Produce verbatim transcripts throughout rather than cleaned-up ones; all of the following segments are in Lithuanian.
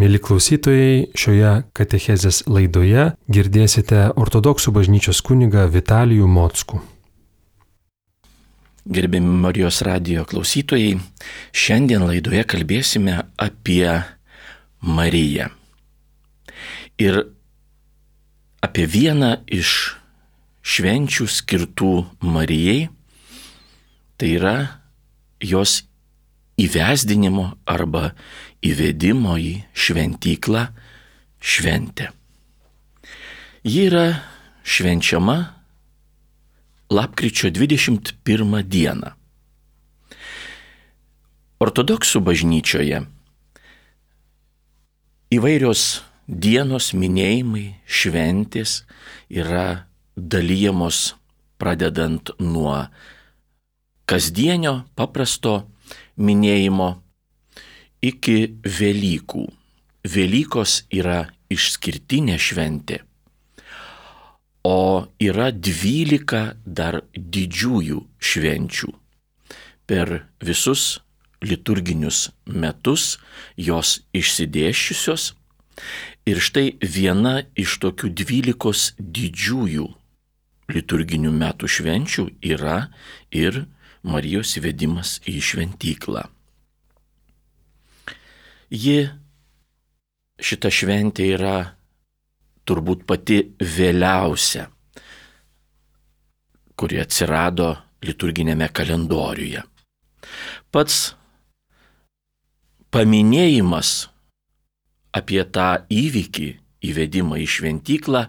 Mieli klausytojai, šioje katechezės laidoje girdėsite ortodoksų bažnyčios kunigą Vitalijų Mockų. Gerbiami Marijos radijo klausytojai, šiandien laidoje kalbėsime apie Mariją. Ir apie vieną iš švenčių skirtų Marijai, tai yra jos įvesdinimo arba įvedimo į šventyklą šventė. Ji yra švenčiama lapkričio dvidešimt pirmą dieną. Ortodoksų bažnyčioje įvairios dienos minėjimai, šventės yra dalijamos pradedant nuo kasdienio paprasto minėjimo iki Velykų. Velykos yra išskirtinė šventė, o yra dvylika dar didžiųjų švenčių. Per visus liturginius metus jos išsidėsčiusios ir štai viena iš tokių dvylikos didžiųjų liturginių metų švenčių yra ir Marijos įvedimas į šventyklą. Ji, šita šventė yra turbūt pati vėliausia, kuri atsirado liturginėme kalendoriuje. Pats paminėjimas apie tą įvykį, įvedimą į šventyklą,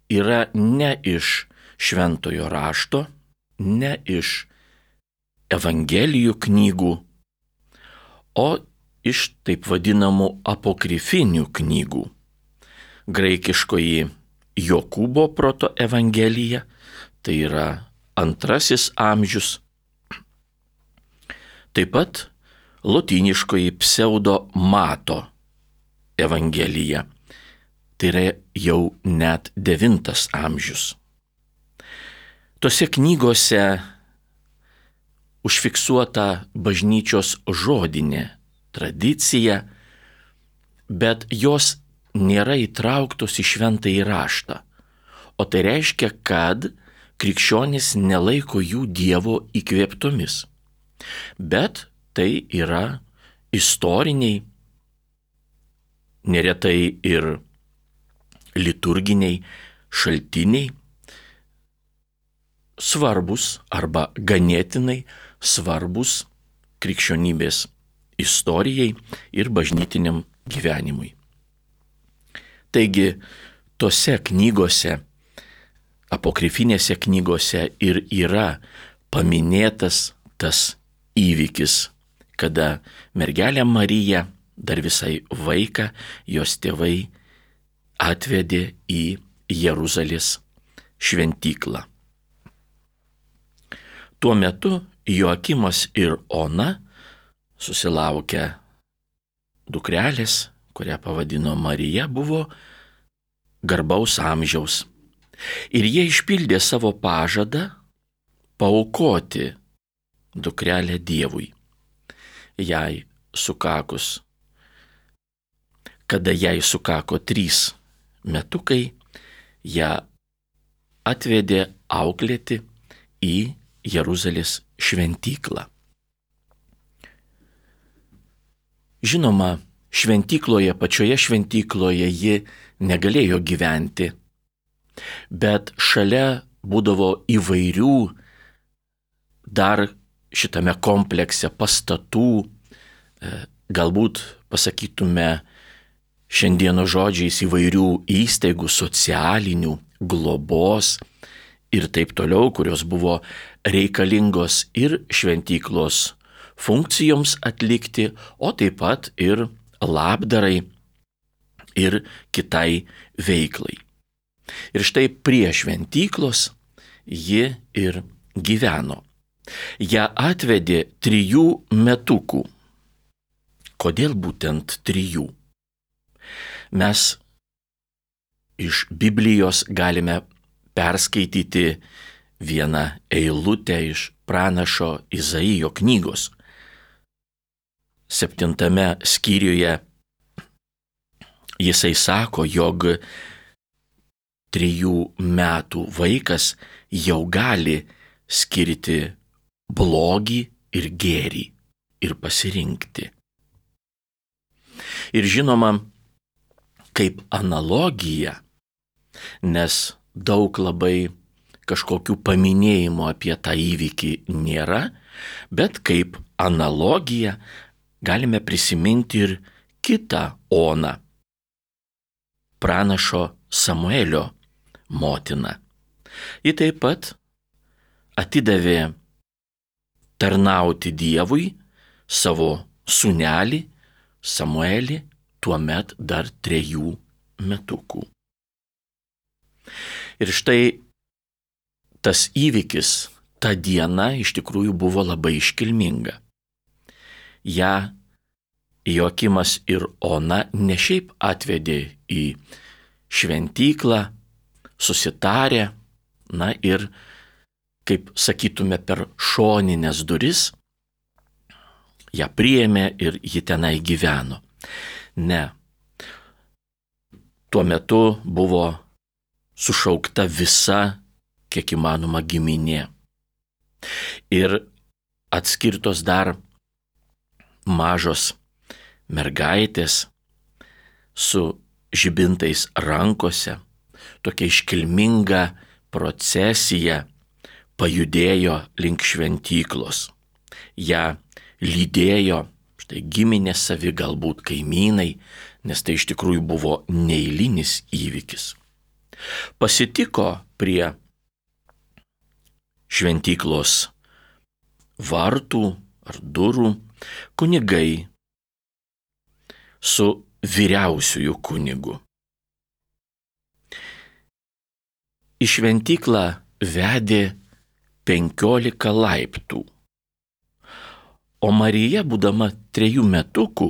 yra ne iš šventojo rašto, ne iš evangelijų knygų, o iš taip vadinamų apokrifinių knygų. Graikiškoji Jokūbo proto evangelija, tai yra antrasis amžius. Taip pat lotyniškoji pseudo Mato evangelija, tai yra jau net devintas amžius. Tose knygose užfiksuota bažnyčios žodinė tradicija, bet jos nėra įtrauktos į šventąjį raštą. O tai reiškia, kad krikščionys nelaiko jų Dievo įkvėptomis. Bet tai yra istoriniai, neretai ir liturginiai šaltiniai, svarbus arba ganėtinai svarbus krikščionybės istorijai ir bažnytiniam gyvenimui. Taigi, tose knygose, apokrifinėse knygose ir yra paminėtas tas įvykis, kada mergelė Marija, dar visai vaiką, jos tėvai atvedė į Jeruzalės šventyklą. Tuo metu Joakimas ir Ona susilaukę dukrelės, kurią pavadino Marija, buvo garbaus amžiaus. Ir jie išpildė savo pažadą paaukoti dukrelę Dievui. Jai sukakus, kada jai sukako trys metukai, ją atvedė auklėti į Jeruzalės šventyklą. Žinoma, šventykloje, pačioje šventykloje ji negalėjo gyventi, bet šalia būdavo įvairių dar šitame komplekse pastatų, galbūt pasakytume šiandieno žodžiais įvairių įstaigų, socialinių, globos ir taip toliau, kurios buvo reikalingos ir šventyklos funkcijoms atlikti, o taip pat ir labdarai ir kitai veiklai. Ir štai prie šventyklos ji ir gyveno. Ją atvedė trijų metukų. Kodėl būtent trijų? Mes iš Biblijos galime perskaityti vieną eilutę iš pranašo Izaijo knygos. Septintame skyriuje Jisai sako, jog trijų metų vaikas jau gali skirti blogį ir gėrį ir pasirinkti. Ir žinoma, kaip analogija, nes daug labai kažkokių paminėjimų apie tą įvykį nėra, bet kaip analogiją galime prisiminti ir kitą Oną, pranašo Samuelio motiną. Ji taip pat atidavė tarnauti Dievui savo sūnelį Samuelį, tuomet dar trejų metukų. Ir štai tas įvykis, ta diena iš tikrųjų buvo labai iškilminga. Ja Joakimas ir Ona ne šiaip atvedė į šventyklą, susitarė, na ir, kaip sakytume, per šoninės duris, ją priėmė ir ji tenai gyveno. Ne. Tuo metu buvo sušaukta visa, kiek įmanoma, giminė. Ir atskirtos dar mažos mergaitės su žibintais rankose, tokia iškilminga procesija pajudėjo link šventyklos. Ja lydėjo štai giminės savi, galbūt kaimynai, nes tai iš tikrųjų buvo neeilinis įvykis. Pasitiko prie šventyklos vartų ar durų kunigai su vyriausiųjų kunigu. Į šventyklą vedė penkiolika laiptų, o Marija, būdama trejų metukų,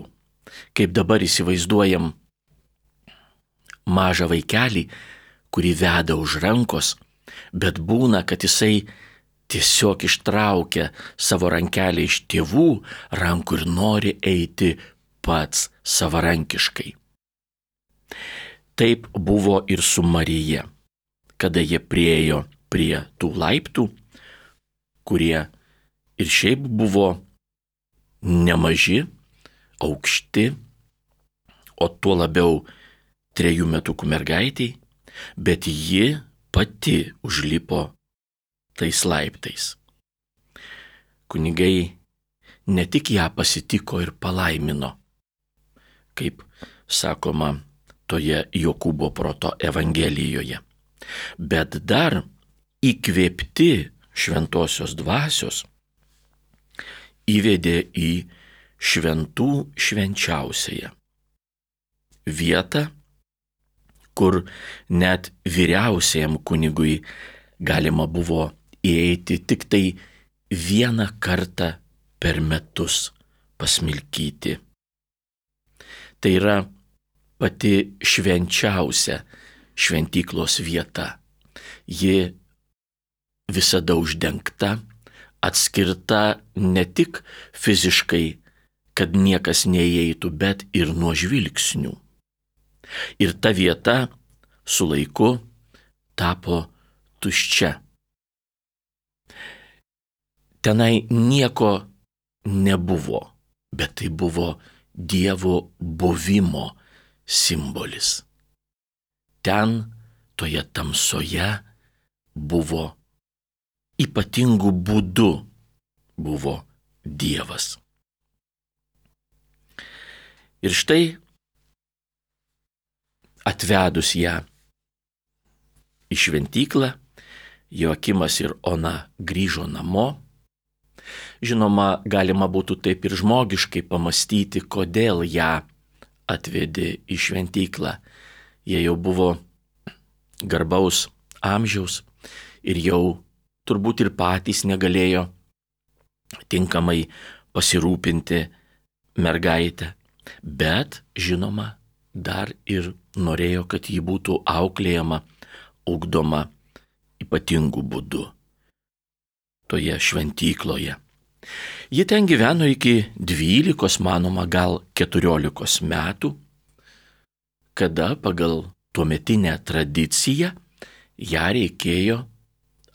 kaip dabar įsivaizduojam mažą vaikelį, kurį veda už rankos, bet būna, kad jisai tiesiog ištraukia savo rankelę iš tėvų rankų ir nori eiti pats savarankiškai. Taip buvo ir su Marija, kada jie priėjo prie tų laiptų, kurie ir šiaip buvo nemaži, aukšti, o tuo labiau trejų metukų mergaitiai, bet ji pati užlipo tais laiptais. Kunigai ne tik ją pasitiko ir palaimino, kaip sakoma toje Jokūbo proto evangelijoje, bet dar įkvėpti šventosios dvasios įvedė į šventų švenčiausiąją vietą, kur net vyriausiajam kunigui galima buvo įeiti tik tai vieną kartą per metus pasmilkyti. Tai yra pati švenčiausia šventyklos vieta. Ji visada uždengta, atskirta ne tik fiziškai, kad niekas neįeitų, bet ir nuo žvilgsnių. Ir ta vieta su laiku tapo tuščia. Tenai nieko nebuvo, bet tai buvo Dievo buvimo simbolis. Ten, toje tamsoje, buvo ypatingų būdų buvo Dievas. Ir štai atvedus ją į šventyklą, Joakimas ir Ona grįžo namo. Žinoma, galima būtų taip ir žmogiškai pamastyti, kodėl ją atvedė į šventyklą. Jie jau buvo garbaus amžiaus ir jau turbūt ir patys negalėjo tinkamai pasirūpinti mergaitę, bet, žinoma, dar ir norėjo, kad ji būtų auklėjama, ugdoma ypatingų būdų toje šventykloje. Ji ten gyveno iki dvylikos, manoma, gal keturiolikos metų, kada pagal tuometinę tradiciją ją reikėjo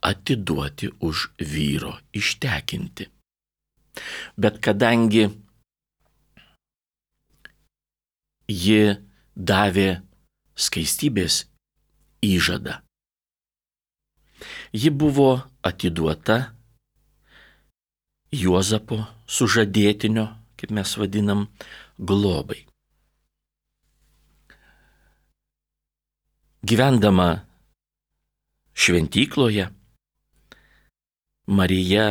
atiduoti už vyro ištekinti. Bet kadangi ji davė skaistybės įžadą, ji buvo atiduota Juozapo sužadėtinio, kaip mes vadinam, globai. Gyvendama šventykloje, Marija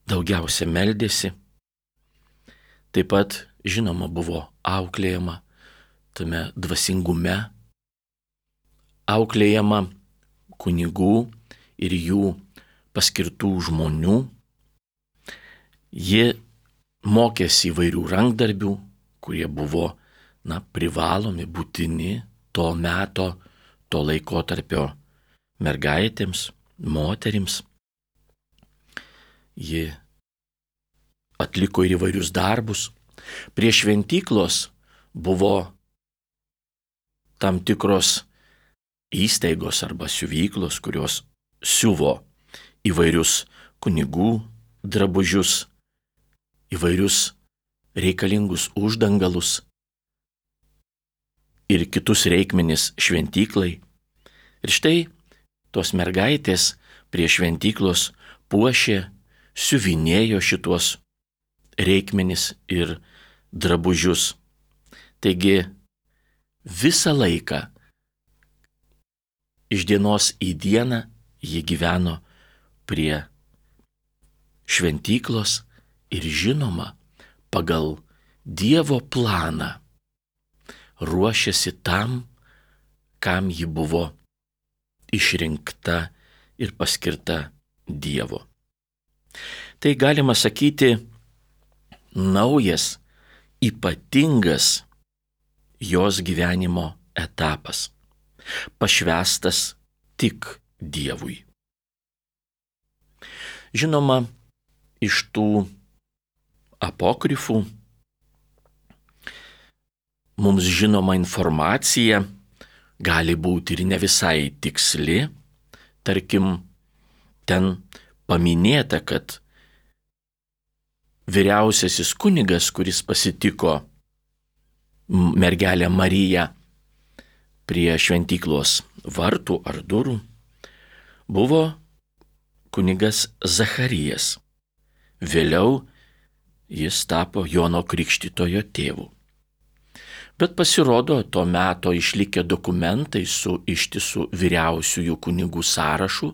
daugiausia meldėsi, taip pat, žinoma, buvo auklėjama tame dvasingume, auklėjama kunigų ir jų paskirtų žmonių. Ji mokėsi įvairių rankdarbių, kurie buvo, na, privalomi, būtini to meto, to laikotarpio mergaitėms, moterims. Ji atliko ir įvairius darbus. Prie šventyklos buvo tam tikros įstaigos arba siuvyklos, kurios siuvo įvairius kunigų drabužius, įvairius reikalingus uždangalus ir kitus reikmenis šventyklai. Ir štai tos mergaitės prie šventyklos puošė, siuvinėjo šitos reikmenis ir drabužius. Taigi visą laiką iš dienos į dieną ji gyveno prie šventyklos ir, žinoma, pagal Dievo planą ruošėsi tam, kam ji buvo išrinkta ir paskirta Dievo. Tai galima sakyti naujas, ypatingas jos gyvenimo etapas, pašvęstas tik Dievui. Žinoma, iš tų apokrifų mums žinoma informacija gali būti ir ne visai tiksli. Tarkim, ten paminėta, kad vyriausiasis kunigas, kuris pasitiko mergelę Mariją prie šventyklos vartų ar durų, buvo kunigas Zacharijas. Vėliau jis tapo Jono Krikštytojo tėvu. Bet pasirodo, to meto išlikę dokumentai su ištisu vyriausiųjų kunigų sąrašu,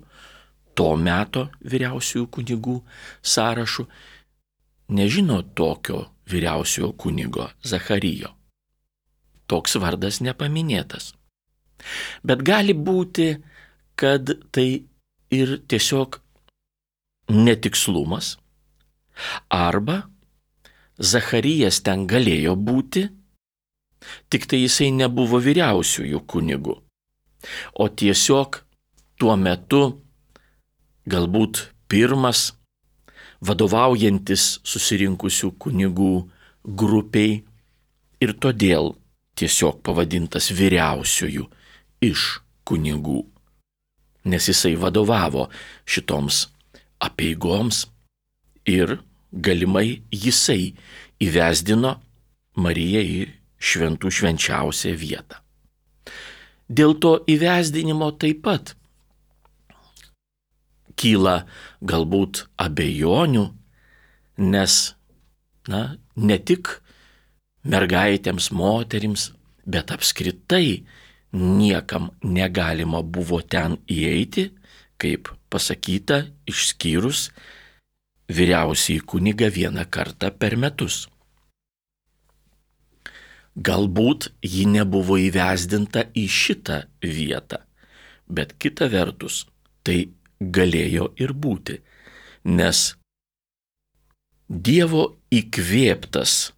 to meto vyriausiųjų kunigų sąrašu, nežino tokio vyriausiojo kunigo Zacharijo. Toks vardas nepaminėtas. Bet gali būti, kad tai ir tiesiog netikslumas, arba Zacharijas ten galėjo būti, tik tai jisai nebuvo vyriausiųjų kunigų, o tiesiog tuo metu galbūt pirmas vadovaujantis susirinkusių kunigų grupiai ir todėl tiesiog pavadintas vyriausiųjų iš kunigų, nes jisai vadovavo šitoms apeigoms ir galimai jisai įvesdino Mariją į šventų švenčiausią vietą. Dėl to įvesdinimo taip pat kyla galbūt abejonių, nes, na, ne tik mergaitėms, moterims, bet apskritai niekam negalima buvo ten įeiti, kaip pasakyta, išskyrus vyriausiąjį kunigą vieną kartą per metus. Galbūt ji nebuvo įvesdinta į šitą vietą, bet kita vertus tai galėjo ir būti, nes Dievo įkvėptas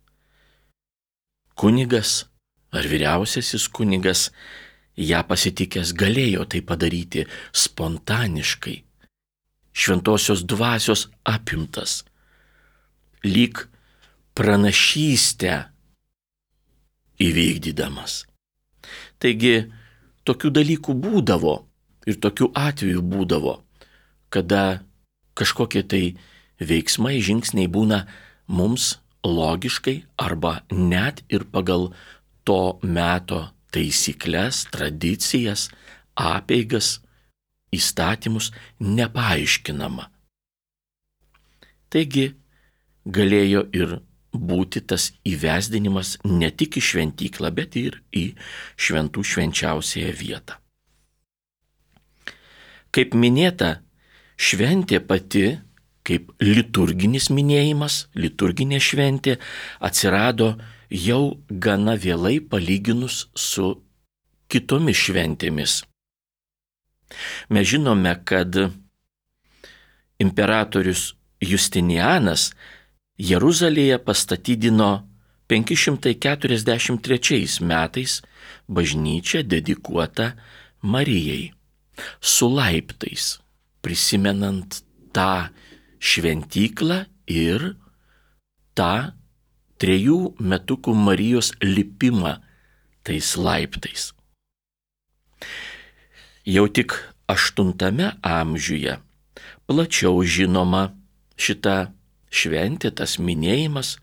kunigas ar vyriausiasis kunigas ją pasitikęs galėjo tai padaryti spontaniškai, šventosios dvasios apimtas, lyg pranašystę įvykdydamas. Taigi, tokių dalykų būdavo ir tokių atvejų būdavo, kada kažkokie tai veiksmai, žingsniai būna mums logiškai arba net ir pagal to meto taisyklės, tradicijas, apeigas, įstatymus nepaaiškinama. Taigi galėjo ir būti tas įvesdinimas ne tik į šventyklą, bet ir į šventų švenčiausiąją vietą. Kaip minėta, šventė pati, kaip liturginis minėjimas, liturginė šventė, atsirado jau gana vėlai palyginus su kitomis šventėmis. Mes žinome, kad imperatorius Justinianas Jeruzalėje pastatydino penki šimtai keturiasdešimt trečiais metais bažnyčią dedikuotą Marijai, su laiptais, prisimenant tą šventyklą ir tą trejų metukų Marijos lipimą tais laiptais. Jau tik aštuntame amžiuje plačiau žinoma šita šventė, tas minėjimas,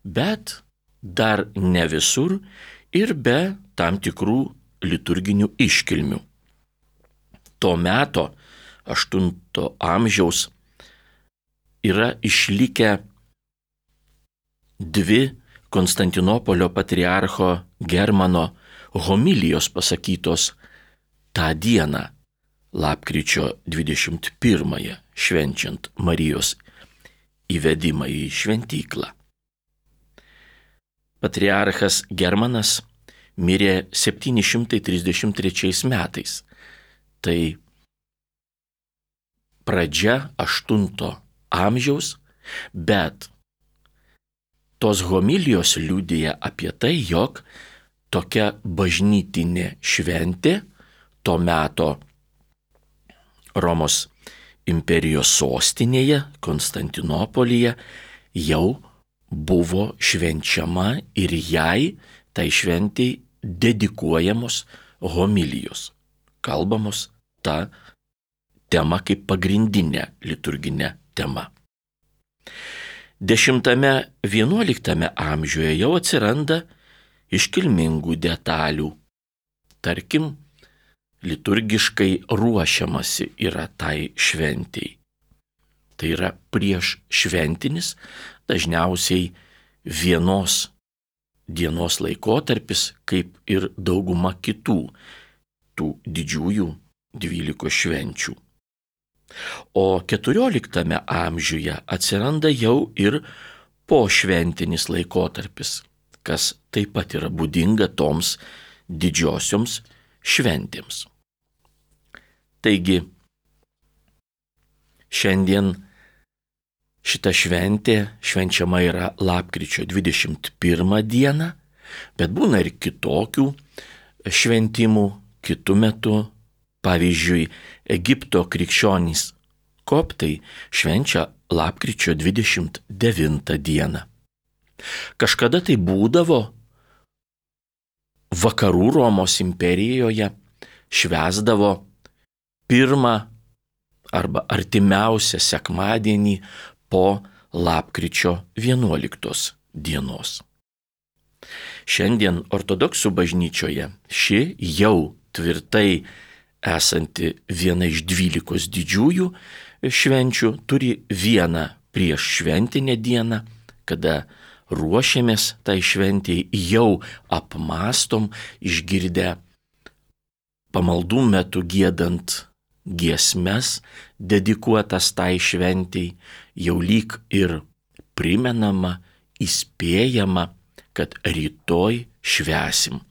bet dar ne visur ir be tam tikrų liturginių iškilmių. To meto, aštunto amžiaus, yra išlikę dvi Konstantinopolio patriarcho Germano homilijos pasakytos tą dieną, lapkričio dvidešimt pirmąją, švenčiant Marijos įvedimą į šventyklą. Patriarchas Germanas mirė septyni šimtai trisdešimt trečiais metais. Tai pradžia aštunto amžiaus, bet tos homilijos liudija apie tai, jog tokia bažnytinė šventė to meto Romos imperijos sostinėje, Konstantinopolyje, jau buvo švenčiama ir jai, tai šventei, dedikuojamos homilijos, kalbamos ta tema kaip pagrindinė liturginė tema. Dešimtame, vienuoliktame amžiuje jau atsiranda iškilmingų detalių. Tarkim, liturgiškai ruošiamasi yra tai šventei. Tai yra prieš šventinis, dažniausiai vienos dienos laikotarpis, kaip ir dauguma kitų tų didžiųjų dvylikos švenčių. O keturioliktame amžiuje atsiranda jau ir pošventinis laikotarpis, kas taip pat yra būdinga toms didžiosioms šventėms. Taigi, šiandien šita šventė švenčiama yra lapkričio dvidešimt pirmą dieną, bet būna ir kitokių šventimų kitų metų. Pavyzdžiui, Egipto krikščionys koptai švenčia lapkričio dvidešimt devintą dieną. Kažkada tai būdavo vakarų Romos imperijoje, švęsdavo pirmą arba artimiausią sekmadienį po lapkričio vienuoliktos dienos. Šiandien ortodoksų bažnyčioje ši jau tvirtai esanti viena iš dvylikos didžiųjų švenčių turi vieną prieš šventinę dieną, kada ruošiamės tai šventėjai, jau apmastom, išgirdę pamaldų metu giedant giesmes dedikuotas tai šventėjai, jau lyg ir primenama, įspėjama, kad rytoj švęsim.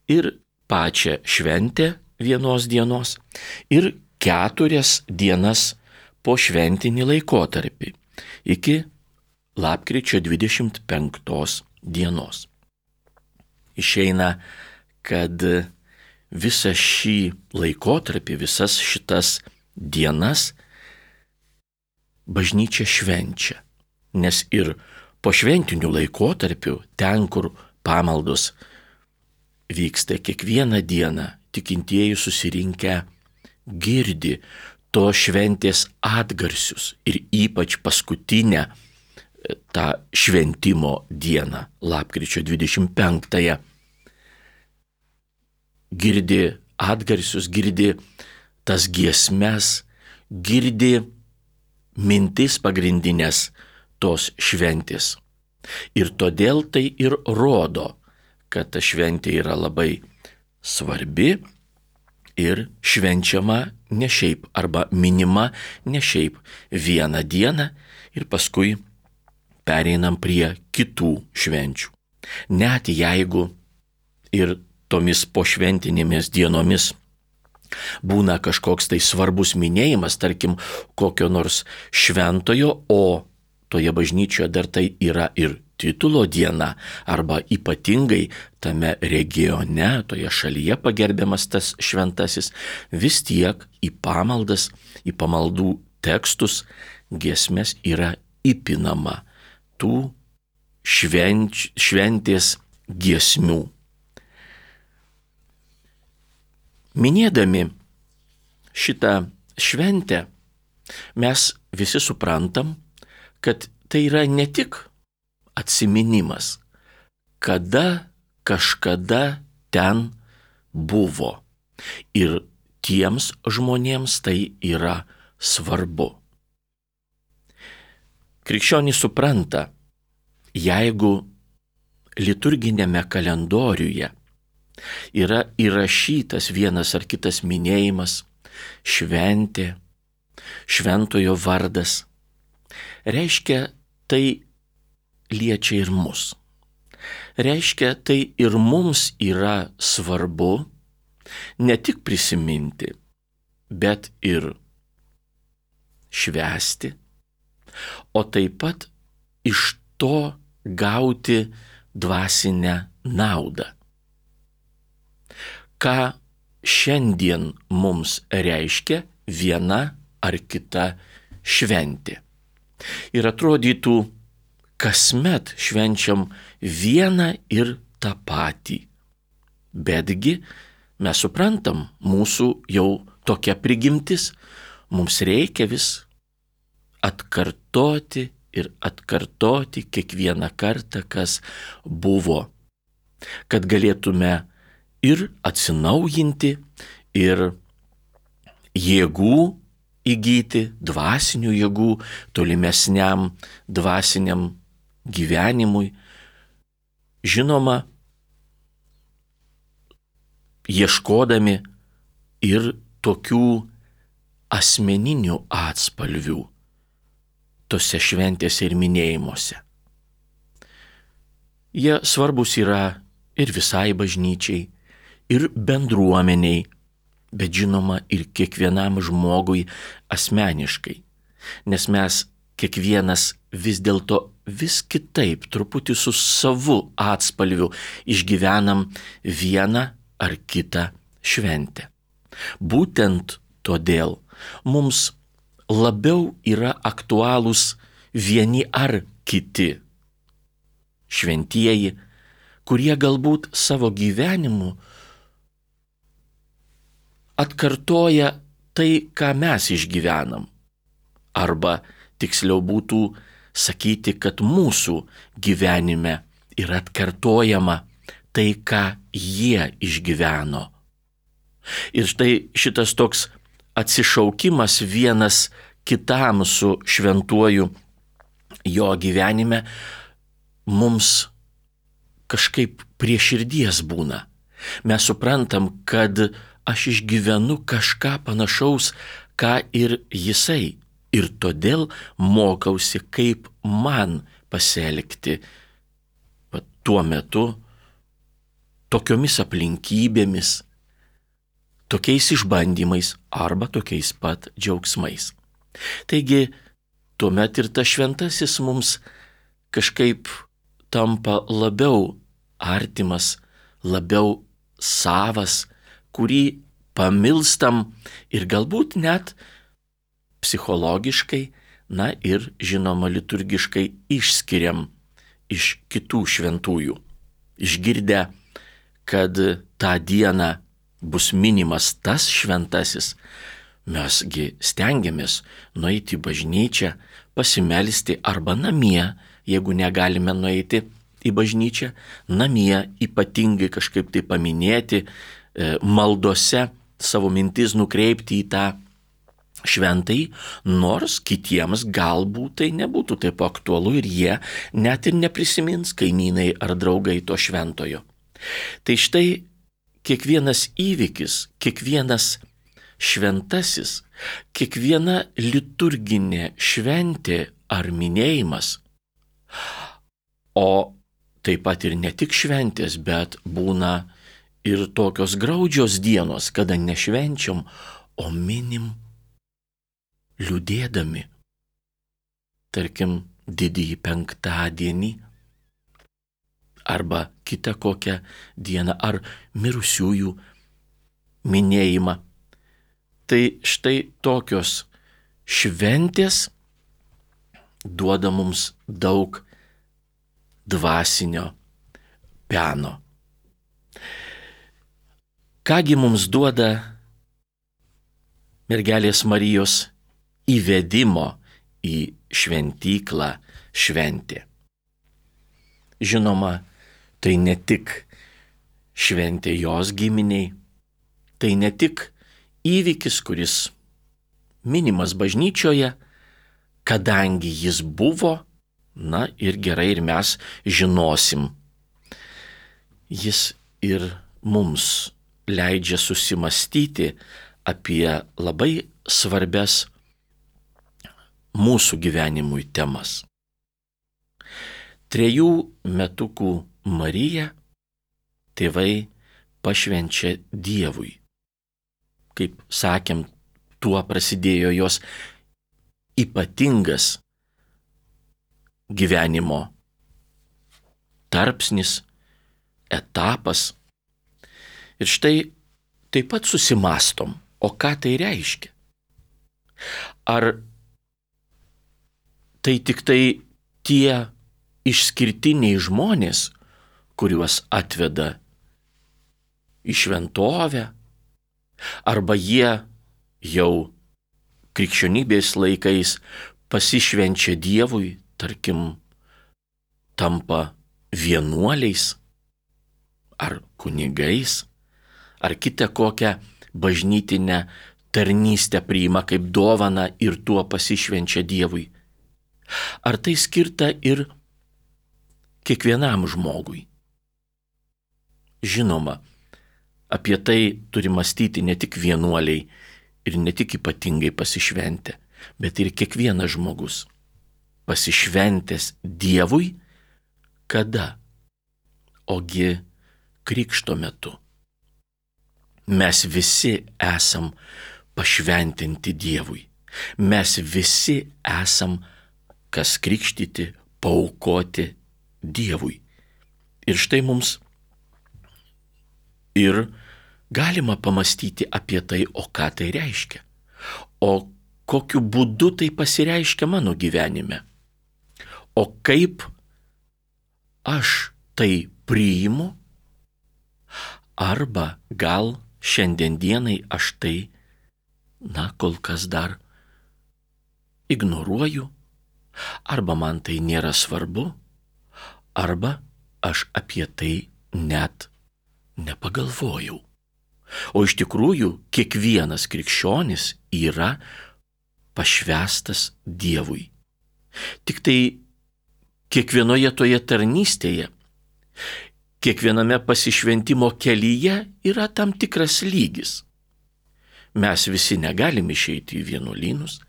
Ir pačią šventę vienos dienos ir keturias dienas po šventinį laikotarpį iki lapkričio dvidešimt penktos dienos. Išeina, kad visą šį laikotarpį, visas šitas dienas bažnyčia švenčia, nes ir po šventinių laikotarpių, ten, kur pamaldos vyksta kiekvieną dieną, tikintieji susirinkę girdi to šventės atgarsius ir ypač paskutinę tą šventimo dieną, lapkričio dvidešimt penktąją. Girdi atgarsius, girdi tas giesmes, girdi mintis pagrindinės tos šventės. Ir todėl tai ir rodo, kad ta šventė yra labai svarbi ir švenčiama ne šiaip arba minima ne šiaip vieną dieną ir paskui pereinam prie kitų švenčių. Net jeigu ir tomis pošventinėmis dienomis būna kažkoks tai svarbus minėjimas, tarkim, kokio nors šventojo, o toje bažnyčioje dar tai yra ir titulo diena, arba ypatingai tame regione, toje šalyje pagerbiamas tas šventasis, vis tiek į pamaldas, į pamaldų tekstus, giesmes yra įpinama tų švenč, šventės giesmių. Minėdami šitą šventę, mes visi suprantam, kad tai yra ne tik atsiminimas, kada kažkada ten buvo. Ir tiems žmonėms tai yra svarbu. Krikščionys supranta, jeigu liturginėme kalendoriuje yra įrašytas vienas ar kitas minėjimas, šventė, šventojo vardas, reiškia, tai liečia ir mus. Reiškia, tai ir mums yra svarbu ne tik prisiminti, bet ir švęsti, o taip pat iš to gauti dvasinę naudą. Ką šiandien mums reiškia viena ar kita šventė. Ir atrodytų, kasmet švenčiam vieną ir tą patį. Betgi mes suprantam, mūsų jau tokia prigimtis, mums reikia vis atkartoti ir atkartoti kiekvieną kartą, kas buvo, kad galėtume ir atsinaujinti, ir jėgų įgyti, dvasinių jėgų, tolimesniam dvasiniam gyvenimui. Žinoma, ieškodami ir tokių asmeninių atspalvių tose šventėse ir minėjimuose. Jie svarbus yra ir visai bažnyčiai, ir bendruomeniai, bet žinoma ir kiekvienam žmogui asmeniškai, nes mes kiekvienas vis dėlto vis kitaip, truputį su savu atspalviu išgyvenam vieną ar kitą šventę. Būtent todėl mums labiau yra aktualūs vieni ar kiti šventieji, kurie galbūt savo gyvenimu atkartoja tai, ką mes išgyvenam. Arba tiksliau būtų sakyti, kad mūsų gyvenime yra atkartojama tai, ką jie išgyveno. Ir štai šitas toks atsišaukimas vienas kitam su šventuoju jo gyvenime mums kažkaip prie širdies būna. Mes suprantam, kad aš išgyvenu kažką panašaus, ką ir jisai. Ir todėl mokausi, kaip man pasielgti va, tuo metu, tokiomis aplinkybėmis, tokiais išbandymais arba tokiais pat džiaugsmais. Taigi, tuomet ir tas šventasis mums kažkaip tampa labiau artimas, labiau savas, kurį pamilstam ir galbūt net psichologiškai, na ir žinoma liturgiškai išskiriam iš kitų šventųjų, išgirdę, kad tą dieną bus minimas tas šventasis, mesgi stengiamės nueiti į bažnyčią, pasimelsti arba namie, jeigu negalime nueiti į bažnyčią, namie ypatingai kažkaip tai paminėti, maldose savo mintis nukreipti į tą šventai, nors kitiems galbūt tai nebūtų taip aktualu ir jie net ir neprisimins kaimynai ar draugai to šventojo. Tai štai kiekvienas įvykis, kiekvienas šventasis, kiekviena liturginė šventė ar minėjimas, o taip pat ir ne tik šventės, bet būna ir tokios graudžios dienos, kada nešvenčiam, o minim liūdėdami. Tarkim, didįjį penktadienį arba kitą kokią dieną ar mirusiųjų minėjimą. Tai štai tokios šventės duoda mums daug dvasinio peno. Kągi mums duoda mergelės Marijos įvedimo į šventyklą šventė? Žinoma, tai ne tik šventė jos giminiai, tai ne tik įvykis, kuris minimas bažnyčioje, kadangi jis buvo, na ir gerai, ir mes žinosim. Jis ir mums leidžia susimastyti apie labai svarbias mūsų gyvenimui temas. Trejų metukų Mariją tėvai pašvenčia Dievui. Kaip sakėm, tuo prasidėjo jos ypatingas gyvenimo tarpsnis, etapas. Ir štai taip pat susimastom, o ką tai reiškia? Ar tai tik tai tie išskirtiniai žmonės, kuriuos atveda į šventovę, arba jie jau krikščionybės laikais pasišvenčia Dievui, tarkim, tampa vienuoliais ar kunigais, ar kitą kokią bažnytinę tarnystę priima kaip dovaną ir tuo pasišvenčia Dievui. Ar tai skirta ir kiekvienam žmogui? Žinoma, apie tai turi mąstyti ne tik vienuoliai ir ne tik ypatingai pasišventę, bet ir kiekvienas žmogus. Pasišventęs Dievui, kada? Ogi krikšto metu. Mes visi esam pašventinti Dievui. Mes visi esam, kas krikštyti, paaukoti Dievui. Ir štai mums ir galima pamastyti apie tai, o ką tai reiškia. O kokiu būdu tai pasireiškia mano gyvenime. O kaip aš tai priimu, arba gal šiandien dienai aš tai, na, kol kas dar ignoruoju, arba man tai nėra svarbu, arba aš apie tai net nepagalvojau. O iš tikrųjų kiekvienas krikščionis yra pašvęstas Dievui. Tik tai kiekvienoje toje tarnystėje, kiekviename pasišventimo kelyje yra tam tikras lygis. Mes visi negalim išeiti į vienuolynus,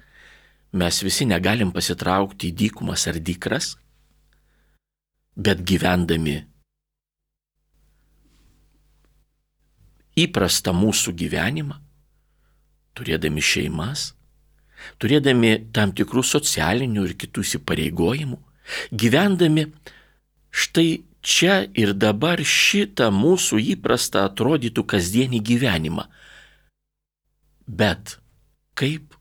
mes visi negalim pasitraukti į dykumas ar dykras, bet gyvendami įprastą mūsų gyvenimą, turėdami šeimas, turėdami tam tikrų socialinių ir kitų įsipareigojimų, gyvendami štai čia ir dabar šitą mūsų įprastą atrodytų kasdienį gyvenimą. Bet kaip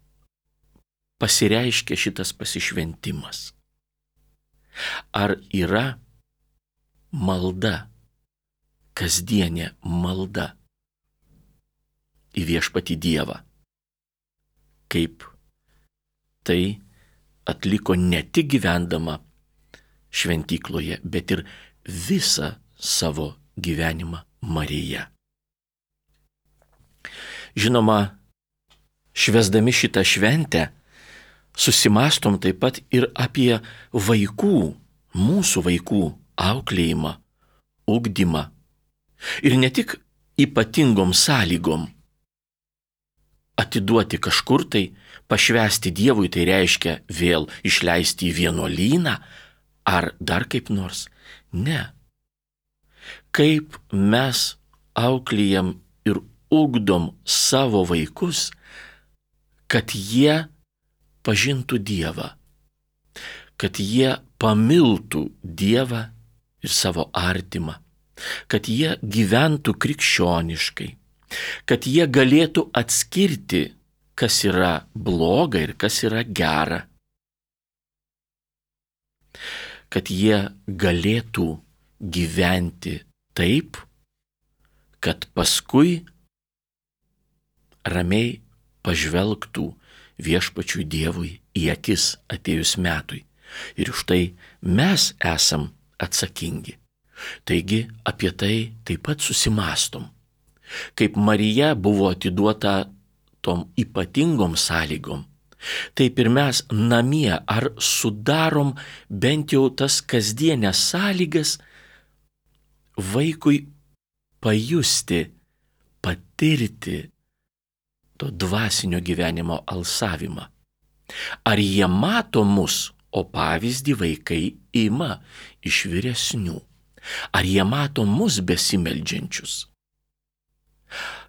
pasireiškia šitas pasišventimas? Ar yra malda kasdienė malda į viešpatį Dievą. Kaip tai atliko ne tik gyvendama šventykloje, bet ir visą savo gyvenimą Marija. Žinoma, švęsdami šitą šventę, susimastom taip pat ir apie vaikų, mūsų vaikų auklėjimą, ugdymą. Ir ne tik ypatingom sąlygom atiduoti kažkur tai, pašvęsti Dievui, tai reiškia vėl išleisti į vienuolyną ar dar kaip nors. Ne. Kaip mes auklėjam ir ugdom savo vaikus, kad jie pažintų Dievą, kad jie pamiltų Dievą ir savo artimą, kad jie gyventų krikščioniškai, kad jie galėtų atskirti, kas yra bloga ir kas yra gera, kad jie galėtų gyventi taip, kad paskui ramiai pažvelgtų viešpačiui Dievui į akis atėjus metui. Ir už tai mes esam atsakingi. Taigi apie tai taip pat susimastom. Kaip Marija buvo atiduota tom ypatingom sąlygom, taip ir mes namie ar sudarom bent jau tas kasdienės sąlygas vaikui pajusti, patirti to dvasinio gyvenimo alsavimą. Ar jie mato mus, o pavyzdį vaikai ima iš vyresnių? Ar jie mato mus besimeldžiančius?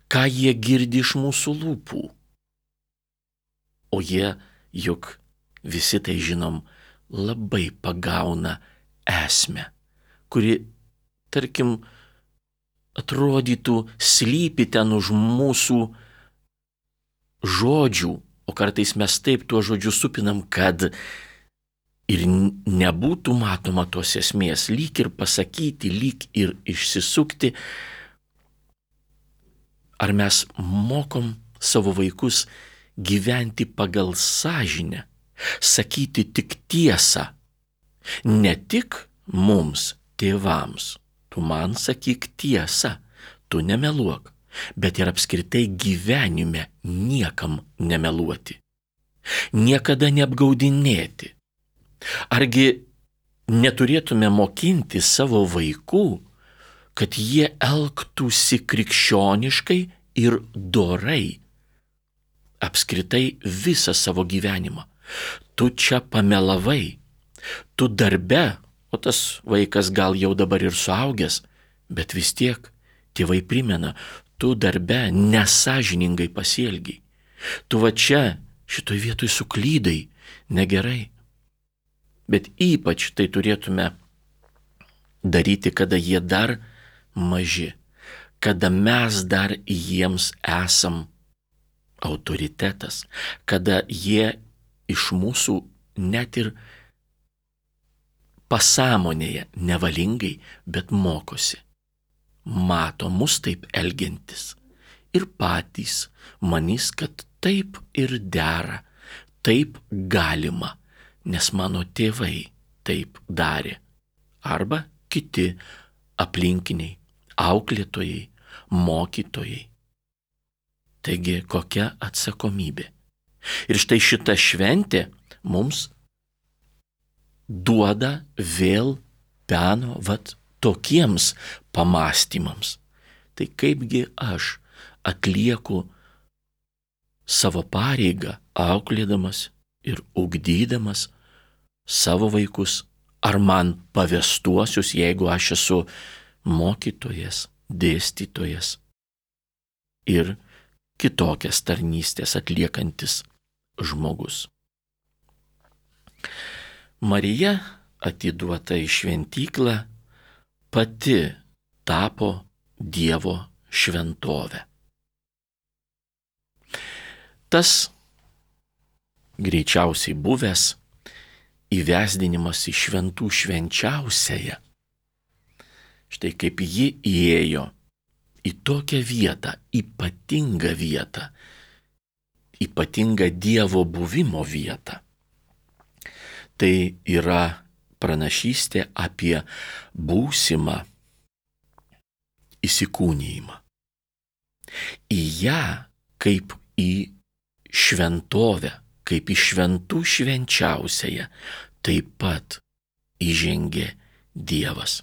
Ką jie girdi iš mūsų lūpų? O jie, juk visi tai žinom, labai pagauna esmę, kuri, tarkim, atrodytų slypi ten už mūsų žodžių, o kartais mes taip tuo žodžiu supinam, kad ir nebūtų matoma tos esmės, lyg ir pasakyti, lyg ir išsisukti. Ar mes mokom savo vaikus gyventi pagal sąžinę, sakyti tik tiesą, ne tik mums, tėvams, tu man sakyk tiesą, tu nemeluok, bet ir apskritai gyvenime niekam nemeluoti, niekada neapgaudinėti. Argi neturėtume mokinti savo vaikų, kad jie elgtųsi krikščioniškai ir dorai apskritai visą savo gyvenimą? Tu čia pamelavai, tu darbe, o tas vaikas gal jau dabar ir suaugęs, bet vis tiek tėvai primena, tu darbe nesąžiningai pasielgiai, tu va čia šitoj vietoj suklydai, negerai. Bet ypač tai turėtume daryti, kada jie dar maži, kada mes dar jiems esam autoritetas, kada jie iš mūsų net ir pasąmonėje nevalingai, bet mokosi. Mato mus taip elgiantis ir patys manys, kad taip ir dera, taip galima, nes mano tėvai taip darė. Arba kiti aplinkiniai, auklėtojai, mokytojai. Taigi kokia atsakomybė. Ir štai šita šventė mums duoda vėl peno vat tokiems pamąstymams. Tai kaipgi aš atlieku savo pareigą, auklėdamas ir ugdydamas savo vaikus, ar man pavestuosius, jeigu aš esu mokytojas, dėstytojas ir kitokias tarnystės atliekantis žmogus. Marija, atiduota į šventyklą, pati tapo Dievo šventovė. Tas greičiausiai buvęs įvesdinimas į šventų švenčiausiąją. Štai kaip ji įėjo į tokią vietą, ypatingą vietą, ypatingą Dievo buvimo vietą. Tai yra pranašystė apie būsimą įsikūnijimą. Į ją kaip į šventovę, kaip į šventų švenčiausiąją, taip pat įžengė Dievas.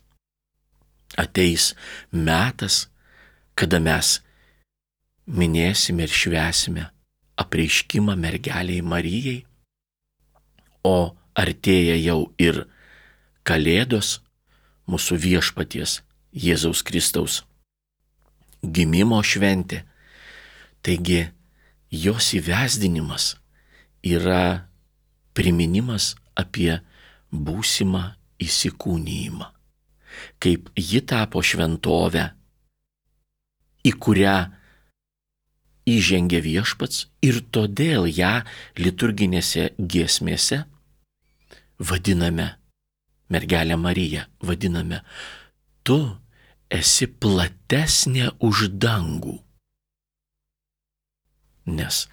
Ateis metas, kada mes minėsime ir švęsime apreiškimą mergeliai Marijai, o artėja jau ir Kalėdos, mūsų viešpaties Jėzaus Kristaus gimimo šventė. Taigi jos įvesdinimas yra priminimas apie būsimą įsikūnijimą, kaip ji tapo šventovę, į kurią įžengė viešpats, ir todėl ją liturginėse giesmėse vadiname, mergelę Mariją vadiname, tu esi platesnė už dangų, nes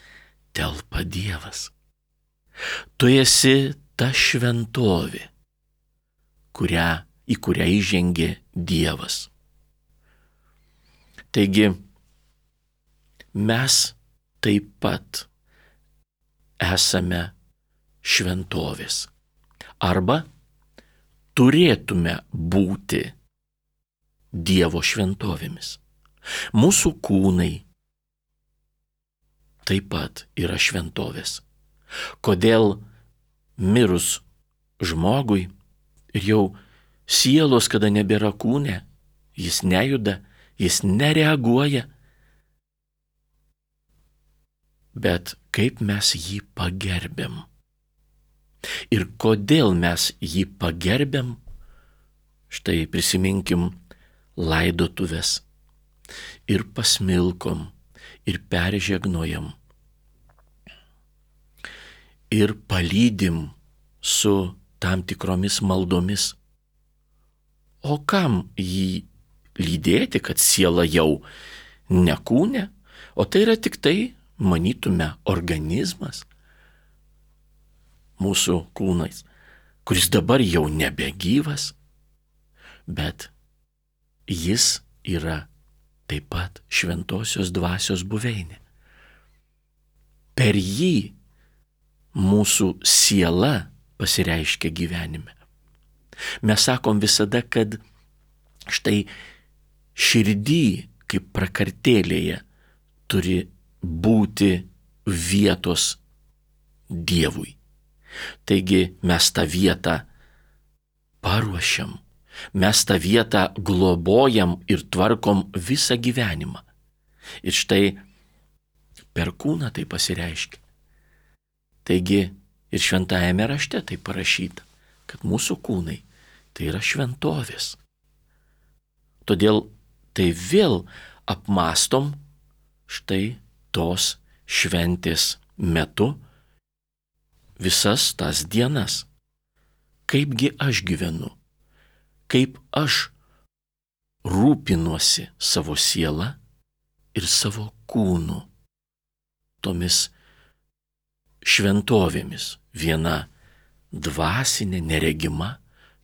telpa Dievas. Tu esi ta šventovė, kurią, į kurią įžengė Dievas. Taigi, mes taip pat esame šventovės. Arba turėtume būti Dievo šventovėmis. Mūsų kūnai taip pat yra šventovės. Kodėl mirus žmogui ir jau sielos, kada nebėra kūne, jis nejuda, jis nereaguoja, bet kaip mes jį pagerbiam. Ir kodėl mes jį pagerbiam, štai prisiminkim laidotuves ir pasmilkom, ir peržegnojam, ir palydim su tam tikromis maldomis. O kam jį lydėti, kad siela jau nekūne, o tai yra tik tai, manytume, organizmas mūsų kūnais, kuris dabar jau nebegyvas, bet jis yra taip pat šventosios dvasios buveinė. Per jį mūsų siela pasireiškia gyvenime. Mes sakom visada, kad štai širdį, kaip prakartėlėje, turi būti vietos Dievui. Taigi mes tą vietą paruošiam, mes tą vietą globojam ir tvarkom visą gyvenimą. Ir štai per kūną tai pasireiškia. Taigi ir šventajame rašte tai parašyta, kad mūsų kūnai tai yra šventovės. Todėl tai vėl apmastom štai tos šventės metu visas tas dienas. Kaipgi aš gyvenu, kaip aš rūpinuosi savo sielą ir savo kūnu, tomis šventovėmis. Viena dvasinė, neregima,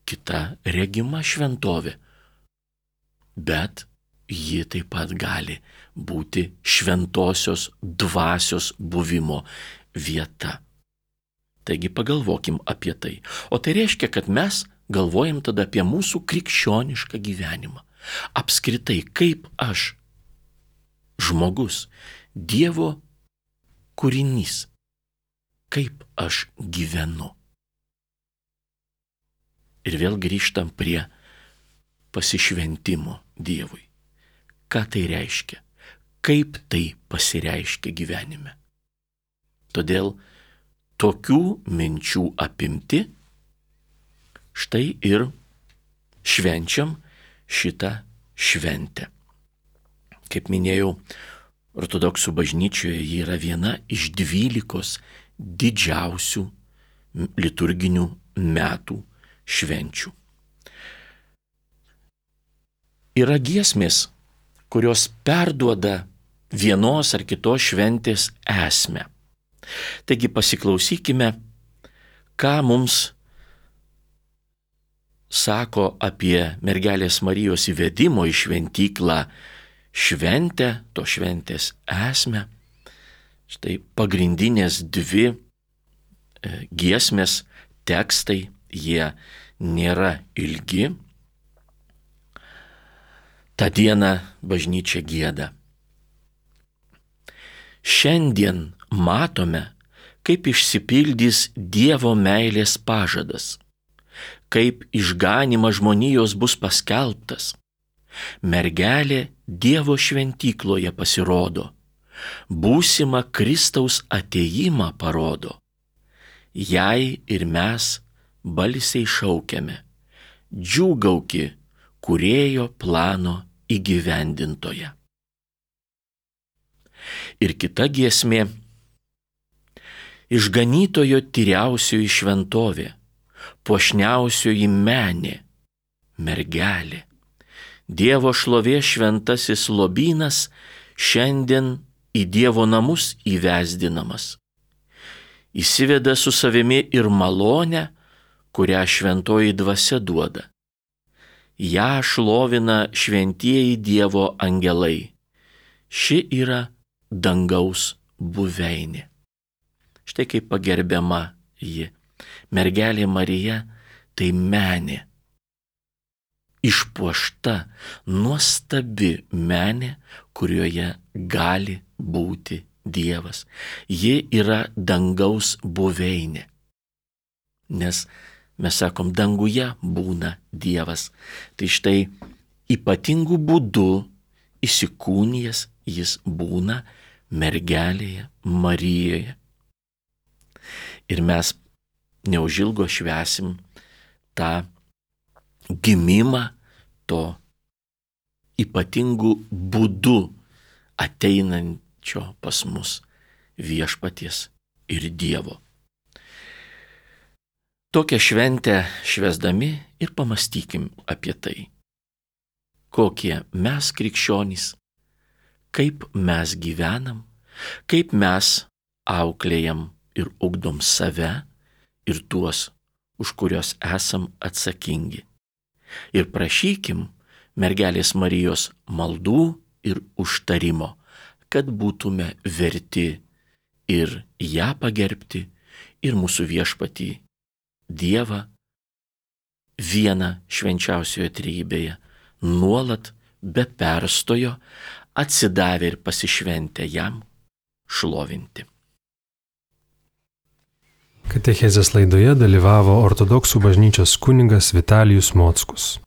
kita regima šventovė. Bet ji taip pat gali būti šventosios dvasios buvimo vieta. Taigi pagalvokim apie tai. O tai reiškia, kad mes galvojam tada apie mūsų krikščionišką gyvenimą. Apskritai, kaip aš, žmogus, Dievo kūrinys, kaip aš gyvenu. Ir vėl grįžtam prie pasišventimo Dievui. Ką tai reiškia? Kaip tai pasireiškia gyvenime? Todėl tokių minčių apimti, štai ir švenčiam šitą šventę. Kaip minėjau, ortodoksų bažnyčioje ji yra viena iš dvylikos didžiausių liturginių metų švenčių. yra giesmės, kurios perduoda vienos ar kitos šventės esmę. Taigi pasiklausykime, ką mums sako apie mergelės Marijos įvedimo į šventyklą šventę, to šventės esmę. Štai pagrindinės dvi giesmės tekstai, jie nėra ilgi. Ta diena bažnyčia gieda. Šiandien matome, kaip išsipildys Dievo meilės pažadas, kaip išganimas žmonijos bus paskelbtas. Mergelė Dievo šventykloje pasirodo, būsimą Kristaus atėjimą parodo. Jai ir mes balsiai šaukiame, džiūgauki Kūrėjo plano įgyvendintoje. Ir kita giesmė - išganytojo tyriausioji šventovė, puošniausioji menė, mergelė. Dievo šlovės šventasis lobynas šiandien į Dievo namus įvesdinamas. Įsiveda su savimi ir malonę, kurią šventoji dvasia duoda. Ja šlovina šventieji Dievo angelai. Ši yra dangaus buveinė. Štai kaip pagerbiama ji. Mergelė Marija tai menė. Išpuošta, nuostabi menė, kurioje gali būti Dievas. Ji yra dangaus buveinė. Nes mes sakom, danguje būna Dievas. Tai štai ypatingų būdų įsikūnijęs jis būna mergelėje Marijoje. Ir mes neužilgo švęsim tą gimimą to ypatingų būdų ateinančio pas mus viešpaties ir Dievo. Tokią šventę švęsdami ir pamastykim apie tai, kokie mes krikščionys, kaip mes gyvenam, kaip mes auklėjam ir ugdom save ir tuos, už kurios esam atsakingi. Ir prašykim mergelės Marijos maldų ir užtarimo, kad būtume verti ir ją pagerbti, ir mūsų viešpatį Dievą vieną švenčiausioje trejybėje nuolat be perstojo atsidavę ir pasišventę jam šlovinti. Katechezės laidoje dalyvavo ortodoksų bažnyčios kunigas Vitalijus Mockus.